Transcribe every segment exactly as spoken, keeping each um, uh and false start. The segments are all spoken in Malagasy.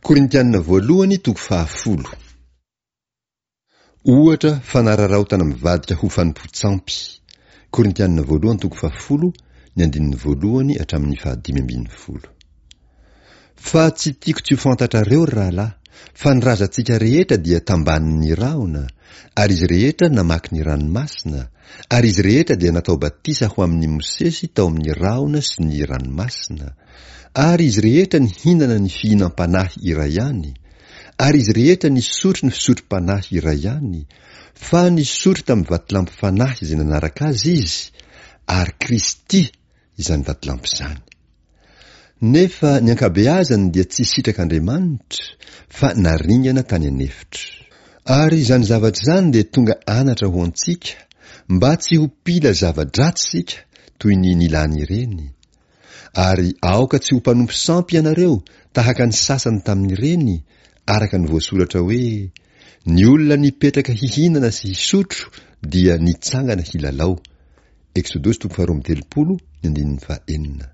Korintianina voalohany toko fahafolo. Ohatra fanararaotana mivadika ho fanompoan-tsampy. Korintianina voalohany toko fahafolo, ny andininy voalohany hatramin'ny fahadimy ambin'ny folo. Fa tsy tiako tsy ho fantatrareo, ry rahalahy, fa ny razantsika rehetra dia tambanin'ny rahona, ary izy rehetra namaky ny ranomasina, ary izy rehetra dia natao batisa ho amin'i Mosesy tao amin'ny rahona sy ny ranomasina, ary izy rehetra nihinana ny fihinam-panahy iray ihany, ary izy rehetra nisotro ny fisotrom-panahy iray ihany, fa nisotro tamin'ny vatolampy fanahy izay nanaraka azy izy, ary Kristy izany vatolampy izany. Nefa ny ankabeazany dia tsy sitrak'Andriamanitra, fa naringana tany an'efitra. Ary izany zavatra izany dia tonga anatra ho antsika, mba tsy ho mpila zava-dratsy isika toy ny nilany ireny. Ary aoka tsy ho mpanompo sampy ianareo tahaka ny sasany tamin'ireny, araka ny voasoratra hoe, Ny olona nipetraka hihinana sy hisotro dia nitsangana hilalao. Eksodosy toko faharoa amby telopolo, ny andininy fahenina.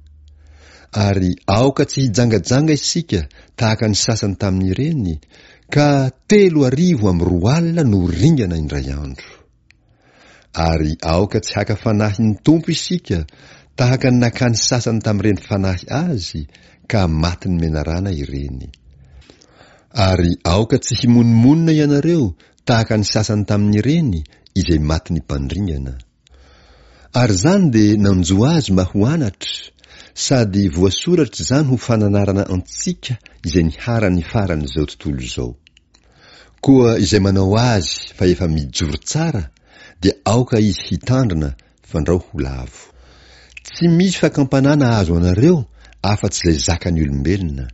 Ary aoka tsy hijangajanga isika tahaka ny sasany tamin'ireny, ka telo arivo amby roa alina no ringana indray andro. Ary aoka tsy haka fanahy ny Tompo isika tahaka ny nakany sasany tamin'ireny fanahy azy, ka matin'ny menarana ireny. Ary aoka tsy himonomonona ianareo tahaka ny sasany tamin'ireny izay matin'ny mpandringana. Ary izany dia nanjo azy mba ho anatra, sady voasoratra izany ho fananarana antsika izay niharan'ny faran'izao tontolo izao. Koa izay manao azy fa efa mijoro tsara dia aoka izy hitandrina fandrao ho lavo. Tsy misy fakam-panahy nahazo anareo afa-tsy izay zakan'ny olombelona.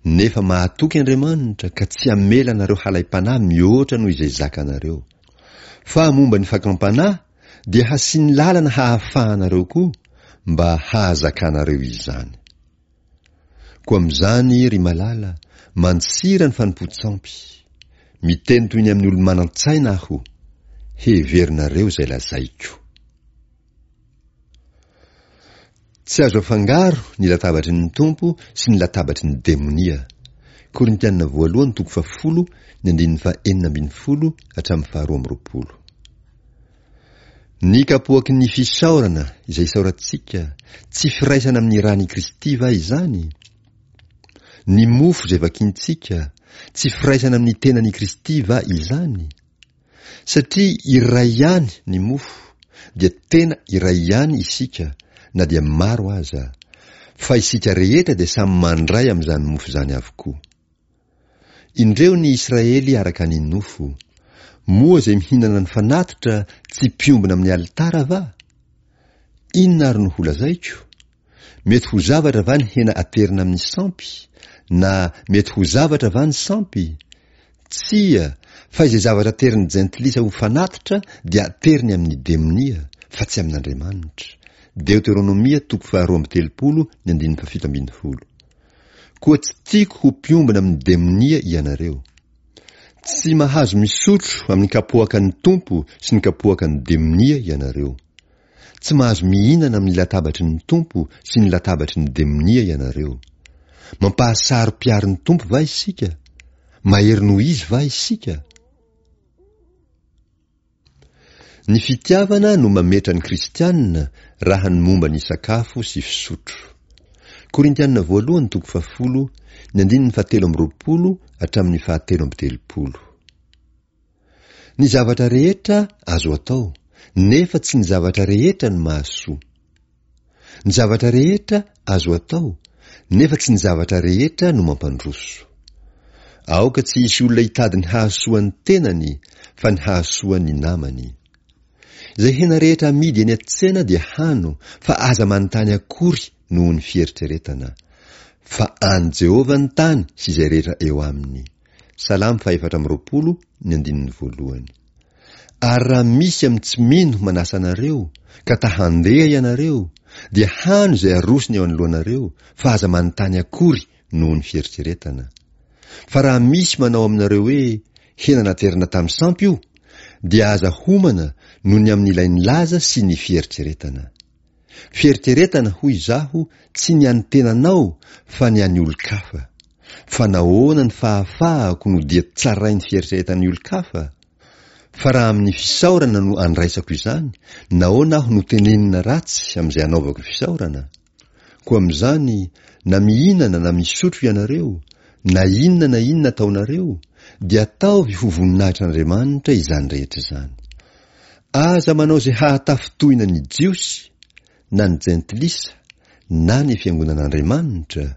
Nefa mahatoky Andriamanitra ka tsy hamela anareo halaim-panahy mihoatra noho izay zakanareo. Fa momba ny fakam-panahy dia hasiany lalana hahafahanareo koa mba hahazakanareo izany. Koa amin'izany, ry malala, mandosira ny fanompoan-tsampy. Miteny toy ny amin'ny olo-manan-tsaina aho. Heverinareo izay lazaiko. Tsy azo afangaro ny latabatry ny Tompo sy ny latabatry ny demonia. Korintianina voalohany toko fahafolo, ny andininy fahenina ambin'ny folo hatramin'ny faharoa amby roapolo. Ny kapoaky ny fisaorana izay isaorantsika, tsy firaisana amin'ny ran'i Kristy va izany? Ny mofo izay vakintsika, tsy firaisana amin'ny tenan'i Kristy va izany? Satria iray ihany ny mofo, dia tena iray ihany isika, na dia maro aza, fa isika rehetra dia samy mandray amin'izany mofo izany avokoa. Indreo ny Israely araka ny nofo. Moa izay mihinana ny fanatitra tsy mpiombona amin'ny alitara va? Inona ary no holazaiko? Mety ho zavatra va ny hena aterina amin'ny sampy? Na mety ho zavatra va ny sampy? Tsia, fa izay zavatra aterin'ny jentilisa ho fanatitra dia ateriny amin'ny demonia, fa tsy amin'Andriamanitra. Deoteronomia toko faharoa amby telopolo ny andininy fahafito ambin'ny folo. Koa tsy tiako ho mpiombona amin'ny demonia ianareo. Tsy mahazo misotro amin'ny kapoakan'ny Tompo sy ny kapoakan'ny demonia ianareo. Tsy mahazo mihinana amin'ny latabatry ny Tompo sy ny latabatry ny demonia ianareo. Mampahasaro-piaro ny Tompo va isika? Mahery noho Izy va isika? Ny fitiavana no mametra ny kristiana raha ny momba ny sakafo sy fisotro. Korintiana voalohany toko fahafolo, ny andininy fahatelo amby roapolo hatramin'ny fahatelo amby telopolo. Ny zavatra rehetra azo atao, nefa tsy ny zavatra rehetra no mahasoa. Ny zavatra rehetra azo atao, nefa tsy ny zavatra rehetra no mampandroso. Aoka tsy hisy olona hitady ny hahasoa ny tenany, fa ny hahasoa ny namany. Izay hena rehetra amidy eny an-tsena dia hano, fa aza manontany akory noho ny fieritreretana. Fa an'i Jehovah ny tany sy izay rehetra eo aminy. Salamo fahefatra amby roapolo, ny andininy voalohany. Ary raha misy amin'ny tsy mino manasa anareo, ka ta handeha ianareo, dia hano izay arosony eo anoloanareo, fa aza manontany akory noho ny fieritreretana. Fa raha misy manao aminareo hoe, Hena naterina tamin'ny sampy io, dia aza homana noho ny amin'ilay nilaza sy ny fieritreretana. Fieritreretana, hoy izaho, tsy ny an'ny tenanao fa ny an'ny olon-kafa. Fa nahoana ny fahafahako no dia tsarain'ny fieritreretan'ny olon-kafa? Fa raha amin'ny fisaorana no andraisako izany, nahoana aho no tenenina ratsy amin'izay anaovako fisaorana? Koa amin'izany, na mihinana na misotro ianareo, na inona na inona ataonareo, dia ataovy ho voninahitr'Andriamanitra izany rehetra izany. Aza manao izay hahatafintohina ny Jiosy, na ny Jentilisa, na ny fiangonan'Andriamanitra,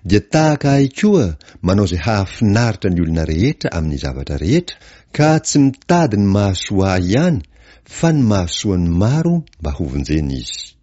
dia tahaka ahy koa manao izay hahafinaritra ny olona rehetra amin'ny zavatra rehetra, ka tsy mitady ny mahasoa ahy ihany fa ny mahasoa ny maro mba hovonjena izy.